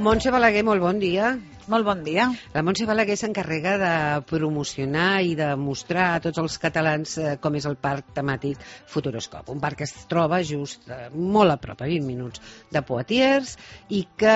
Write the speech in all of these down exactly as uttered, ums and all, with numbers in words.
Montse Balaguer, molt bon dia. Molt bon dia. La Montse Balaguer s'encarrega de promocionar i de mostrar a tots els catalans eh, com és el parc temàtic Futuroscop. Un parc que es troba just eh, molt a prop, a vint minuts de Poitiers, i que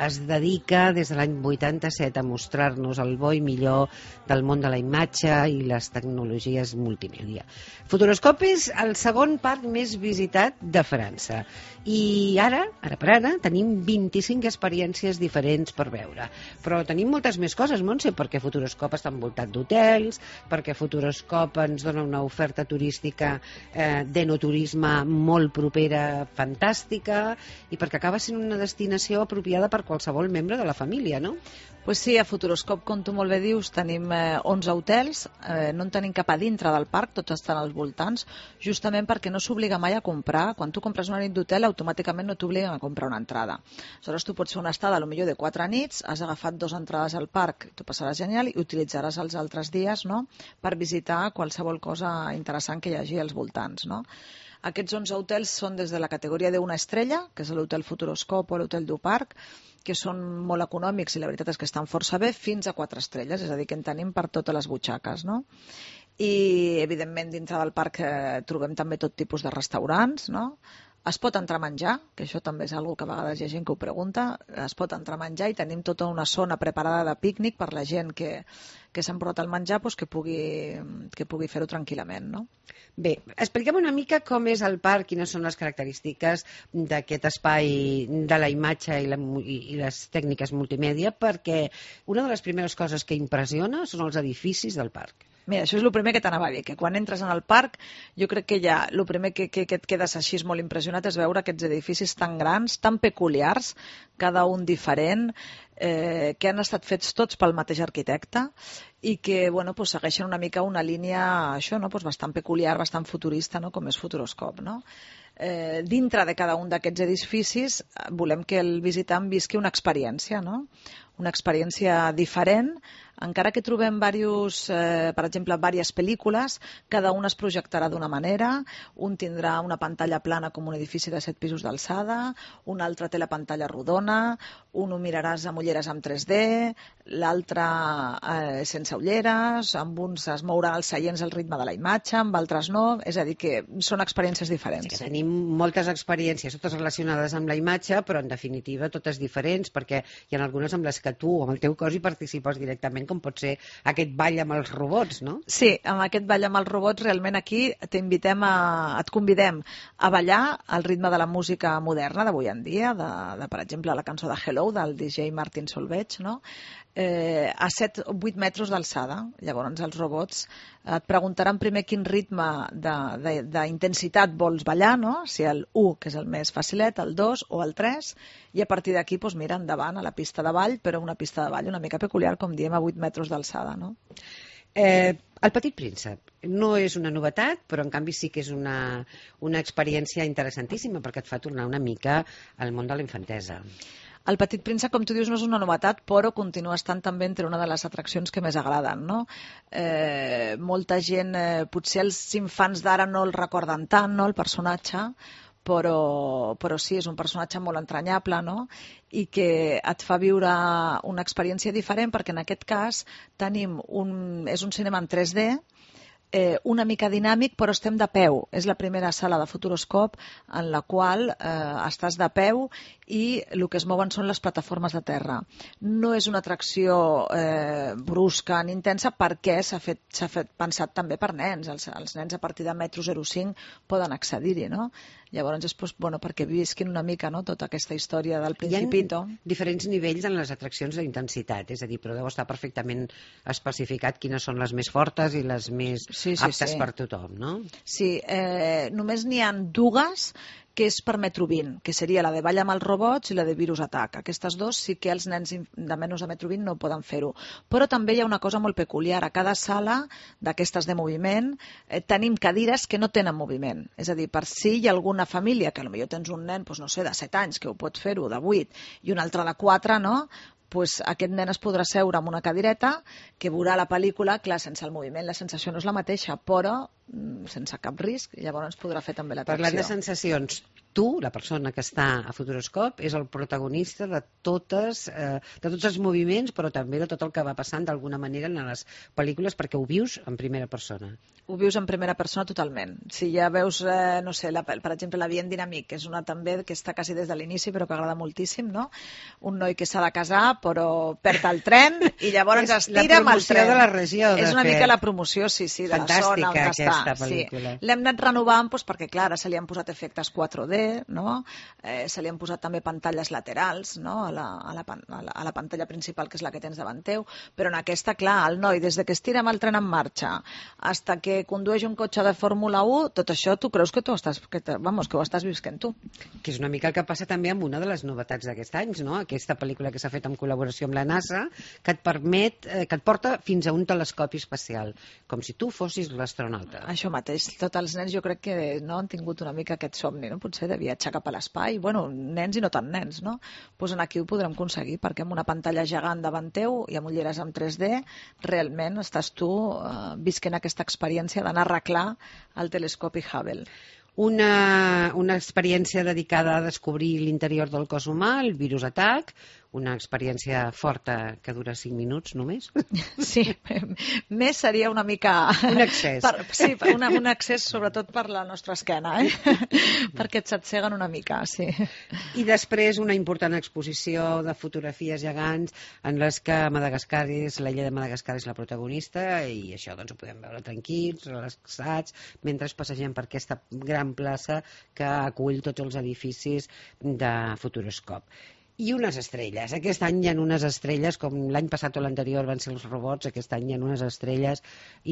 es dedica des de l'any vuitanta-set a mostrar-nos el bo i millor del món de la imatge i les tecnologies multimèdia. Futuroscop és el segon parc més visitat de França. I ara, ara per ara, tenim vint-i-cinc experiències diferents per veure. Però tenim moltes més coses, Montse, perquè Futuroscop està envoltat d'hotels, perquè Futuroscop ens dona una oferta turística eh, d'enoturisme molt propera, fantàstica, i perquè acaba sent una destinació apropiada per qualsevol membre de la família, no? Pues sí, a Futuroscop, com tu molt bé dius, tenim eh, onze hotels, eh, no en tenim cap a dintre del parc, tots estan als voltants, justament perquè no s'obliga mai a comprar. Quan tu compres una nit d'hotel, automàticament no t'obliguen a comprar una entrada. Aleshores, tu pots fer una estada, potser de quatre nits, has agafat dues entrades al parc, tu passaràs genial, i utilitzaràs els altres dies, no?, per visitar qualsevol cosa interessant que hi hagi als voltants, no? Aquests onze hotels són des de la categoria d'una estrella, que és l'hotel Futuroscop o l'hotel du Parc, que són molt econòmics i la veritat és que estan força bé, fins a quatre estrelles, és a dir, que en tenim per totes les butxaques, no? I, evidentment, dintre del parc eh, trobem també tot tipus de restaurants, no? Es pot entrar a menjar, que això també és una que a vegades hi ha gent que ho pregunta, es pot entrar a menjar i tenim tota una zona preparada de pícnic per la gent que, que s'ha emportat el menjar, doncs que pugui, que pugui fer-ho tranquil·lament, no? Bé, expliquem una mica com és el parc, quines són les característiques d'aquest espai de la imatge i, la, i les tècniques multimèdia, perquè una de les primeres coses que impressiona són els edificis del parc. Mira, això és el primer que t'anava a dir, que quan entres en el parc, jo crec que ja el primer que, que, que et quedes així molt impressionat és veure aquests edificis tan grans, tan peculiars, cada un diferent, eh, que han estat fets tots pel mateix arquitecte i que bueno, pues, segueixen una mica una línia això, no? Pues, bastant peculiar, bastant futurista, no? Com és Futuroscop, no? Eh, dintre de cada un d'aquests edificis volem que el visitant visqui una experiència, no? Una experiència diferent, encara que trobem diversos, eh, per exemple, diverses pel·lícules, cada una es projectarà d'una manera, un tindrà una pantalla plana com un edifici de set pisos d'alçada, un altre té la pantalla rodona, un ho miraràs amb ulleres amb tres D, l'altre eh, sense ulleres, amb uns es mouran els seients al ritme de la imatge, amb altres no, és a dir, que són experiències diferents. Sí, tenim moltes experiències, totes relacionades amb la imatge, però en definitiva totes diferents, perquè hi ha algunes amb les que tu, amb el teu cos, hi participes directament, com pot ser aquest ball amb els robots, no? Sí, amb aquest ball amb els robots realment aquí t'invitem a, et convidem a ballar al ritme de la música moderna d'avui en dia, de, de, per exemple, la cançó de Hello, del D J Martin Solveig, no? Eh, a set o vuit metres d'alçada. Llavors els robots et preguntaran primer quin ritme d'intensitat vols ballar, no? Si el u, que és el més facilet, el dos o el tres, i a partir d'aquí doncs, mira endavant a la pista de ball, però una pista de ball una mica peculiar, com diem, a vuit metres d'alçada, no? Eh, el Petit Príncep no és una novetat, però en canvi sí que és una, una experiència interessantíssima perquè et fa tornar una mica al món de la infantesa. El Petit Príncep, com tu dius, no és una novetat, però continua estant també entre una de les atraccions que més agraden, no? Eh, molta gent, eh, potser els infants d'ara no el recorden tant, no?, el personatge, però, però sí, és un personatge molt entranyable, no?, i que et fa viure una experiència diferent, perquè en aquest cas tenim un, és un cinema en tres D, Eh, una mica dinàmic, però estem de peu. És la primera sala de Futuroscop en la qual eh, estàs de peu i el que es mouen són les plataformes de terra. No és una atracció eh, brusca ni intensa perquè s'ha fet, s'ha fet pensat també per nens. Els, els nens a partir de metro zero coma cinc poden accedir-hi, no? Llavors és pues, bueno, perquè visquin una mica, no?, tota aquesta història del Principito. Hi ha diferents nivells en les atraccions d'intensitat, és a dir, però deu estar perfectament especificat quines són les més fortes i les més sí, sí, aptes sí. per tothom, no? Sí, eh, només n'hi ha dues que és per metro vint, que seria la de Ball amb els robots i la de Virus Attack. Aquestes dues sí que els nens de menys de metro vint no poden fer-ho. Però també hi ha una cosa molt peculiar. A cada sala d'aquestes de moviment eh, tenim cadires que no tenen moviment. És a dir, per si hi ha alguna família, que potser tens un nen, doncs, no sé, de set anys, que ho pot fer-ho, de vuit, i un altre de quatre, no?, pues aquest nen es podrà seure en una cadireta que veurà la pel·lícula, clar, sense el moviment la sensació no és la mateixa, però sense cap risc, llavors podrà fer també l'atracció. Parlant de sensacions, tu, la persona que està a Futuroscope, és el protagonista de totes, eh, de tots els moviments, però també de tot el que va passant d'alguna manera en les pel·lícules, perquè ho vius en primera persona. Ho vius en primera persona totalment. Si ja veus, eh, no sé, la, per exemple, La Bien Dinamique, que és una també que està quasi des de l'inici, però que agrada moltíssim, no? Un noi que s'ha de casar, però perd el tren i llavors es tira amb el tren. La promoció de la regió, de És una fet. mica la promoció, sí, sí, de Fantàstica, la zona on aquesta està. pel·lícula. Sí. L'hem anat renovant doncs, perquè, clar, ara se li han posat efectes quatre D, no? Eh, se li han posat també pantalles laterals, no? A la, a, la, a, la, a la pantalla principal, que és la que tens davant teu, però en aquesta, clar, el noi, des de que es tira amb el tren en marxa hasta que condueix un cotxe de Fórmula u, tot això tu creus que tu estàs, que, te, vamos, que ho estàs visquent tu. Que és una mica el que passa també amb una de les novetats d'aquest any, no? Aquesta pel·lícula que s'ha fet en col·laboració amb la NASA, que et permet, eh, que et porta fins a un telescopi espacial, com si tu fossis l'astronauta. Això mateix, tots els nens jo crec que no han tingut una mica aquest somni, no? Potser de viatjar cap a l'espai, bueno, nens i no tan nens, no? Pues en aquí ho podrem aconseguir, perquè amb una pantalla gegant davant teu i amb ulleres en tres D, realment estàs tu eh, visquent aquesta experiència d'anar a arreglar el telescopi Hubble. Una, una experiència dedicada a descobrir l'interior del cos humà, el virus atac, una experiència forta que dura cinc minuts només. Sí, més seria una mica... Un excés. Per, sí, un, un excés sobretot per la nostra esquena, eh? Perquè et s'atseguen una mica, sí. I després una important exposició de fotografies gegants en les que Madagascar és, la illa de Madagascar és la protagonista i això doncs ho podem veure tranquils, relaxats, mentre passegem per aquesta gran plaça que acull tots els edificis de Futuroscope. I unes estrelles. Aquest any hi ha unes estrelles, com l'any passat o l'anterior van ser els robots, aquest any hi ha unes estrelles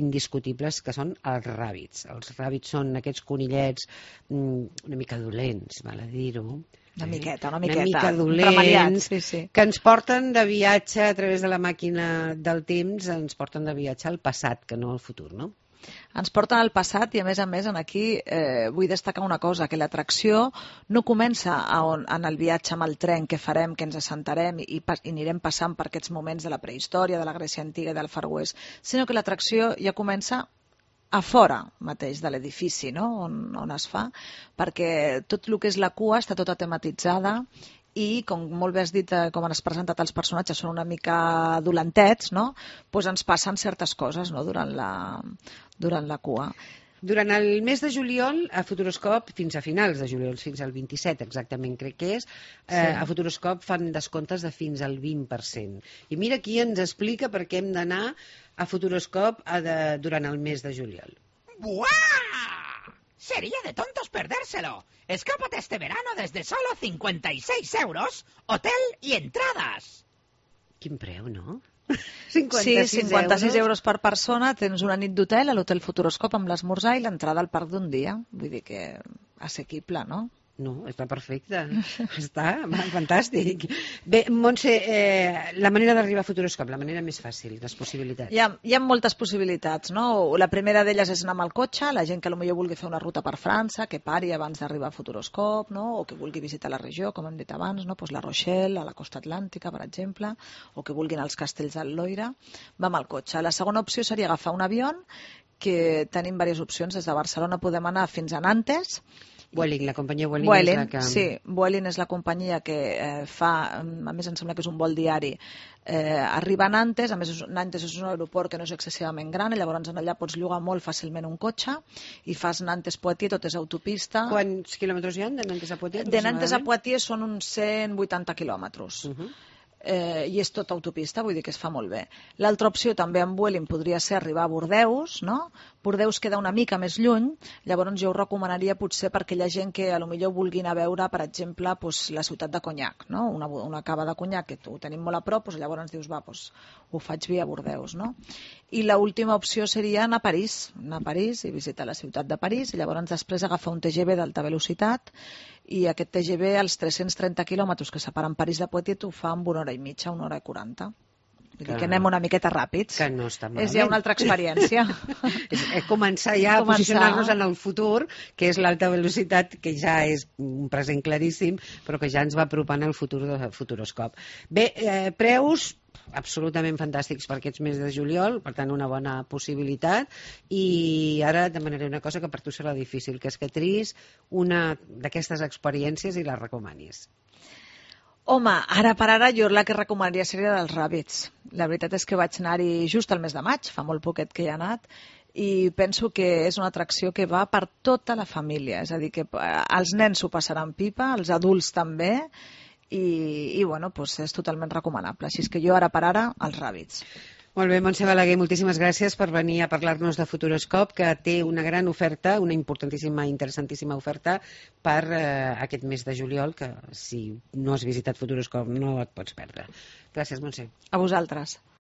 indiscutibles que són els ràbits. Els ràbits són aquests conillets una mica dolents, val a dir-ho. Una miqueta, una miqueta. Una mica dolents, sí, sí. que ens porten de viatge a través de la màquina del temps, ens porten de viatge al passat, que no al futur, no? Ens porten al passat i, a més a més, en aquí eh, vull destacar una cosa, que l'atracció no comença a on, en el viatge amb el tren que farem, que ens assentarem i, i, i anirem passant per aquests moments de la prehistòria, de la Grècia antiga i del Far West, sinó que l'atracció ja comença a fora mateix de l'edifici, no? on, on es fa, perquè tot el que és la cua està tota tematitzada i, com molt bé has dit, eh, com han presentat els personatges, són una mica dolentets, no? Pues ens passen certes coses, no? durant, la, durant la cua. Durant el mes de juliol, a Futuroscope, fins a finals de juliol, fins al vint-i-set exactament crec que és, eh, sí. A Futuroscope fan descomptes de fins al vint per cent. I mira qui ens explica per què hem d'anar a Futuroscope a de, durant el mes de juliol. ¡Buah! Sería de tontos perdérselo. Escápate este verano desde solo cincuenta y seis euros, hotel y entradas. Quin preu, no? cinquanta-sis sí, cinquanta-sis euros. euros per persona, tens una nit d'hotel a l'Hotel Futuroscope amb l'esmorzar i l'entrada al parc d'un dia. Vull dir que assequible, no? No, està perfecte. Està fantàstic. Bé, Montse, eh, la manera d'arribar a Futuroscope, la manera més fàcil, les possibilitats. Hi ha, hi ha moltes possibilitats, no? La primera d'elles és anar amb el cotxe, la gent que potser vulgui fer una ruta per França, que pari abans d'arribar a Futuroscope, no? O que vulgui visitar la regió, com hem dit abans, no? Pues la Rochelle, a la costa atlàntica, per exemple, o que vulguin els castells del Loira, va amb el cotxe. La segona opció seria agafar un avió, que tenim diverses opcions. Des de Barcelona podem anar fins a Nantes. Vueling, la companyia Vueling, Vueling és la que... Sí, Vueling és la companyia que eh, fa, a més em sembla que és un vol diari, eh, arriba a Nantes, a més Nantes és un aeroport que no és excessivament gran i llavors allà pots llogar molt fàcilment un cotxe i fas Nantes-Poitiers, tot és autopista. Quants quilòmetres hi ha de Nantes a Poitiers? De Nantes a Poitiers són uns cent vuitanta quilòmetres. Uh -huh. Eh, i és tot autopista, vull dir que es fa molt bé. L'altra opció també amb Vueling podria ser arribar a Bordeus, no? Bordeus queda una mica més lluny, llavors jo ho recomanaria potser per aquella gent que a lo millor vulgui anar a veure, per exemple, pues, la ciutat de Cognac, no? Una, una cava de Cognac que ho tenim molt a prop, pues, llavors dius, va, pues, ho faig via Bordeus, no? I l'última opció seria anar a París, anar a París i visitar la ciutat de París i llavors després agafar un T G V d'alta velocitat i aquest T G V, als tres-cents trenta quilòmetres que separen París de Poitiers, ho fa en una hora i mitja, una hora i quaranta. Vull dir que anem una miqueta ràpids. Que no està malament. És ja una altra experiència. és, és començar ja a posicionar-nos en el futur, que és l'alta velocitat, que ja és un present claríssim, però que ja ens va apropant al futur de Futuroscope. Bé, eh, preus... absolutament fantàstics per aquests mesos de juliol, per tant una bona possibilitat, i ara et demanaré una cosa que per tu serà difícil, que és que triïs una d'aquestes experiències i la recomanis. Home, ara per ara jo la que recomanaria seria dels Ràbits. La veritat és que vaig anar-hi just al mes de maig, fa molt poquet que hi he anat, i penso que és una atracció que va per tota la família, és a dir, que els nens s'ho passaran pipa, els adults també, i, i bueno, doncs és totalment recomanable. Així és que jo ara per ara, els Ràbits. Molt bé, Montse Balaguer, moltíssimes gràcies per venir a parlar-nos de Futuroscope, que té una gran oferta, una importantíssima, interessantíssima oferta per eh, aquest mes de juliol, que si no has visitat Futuroscope no et pots perdre. Gràcies, Montse. A vosaltres.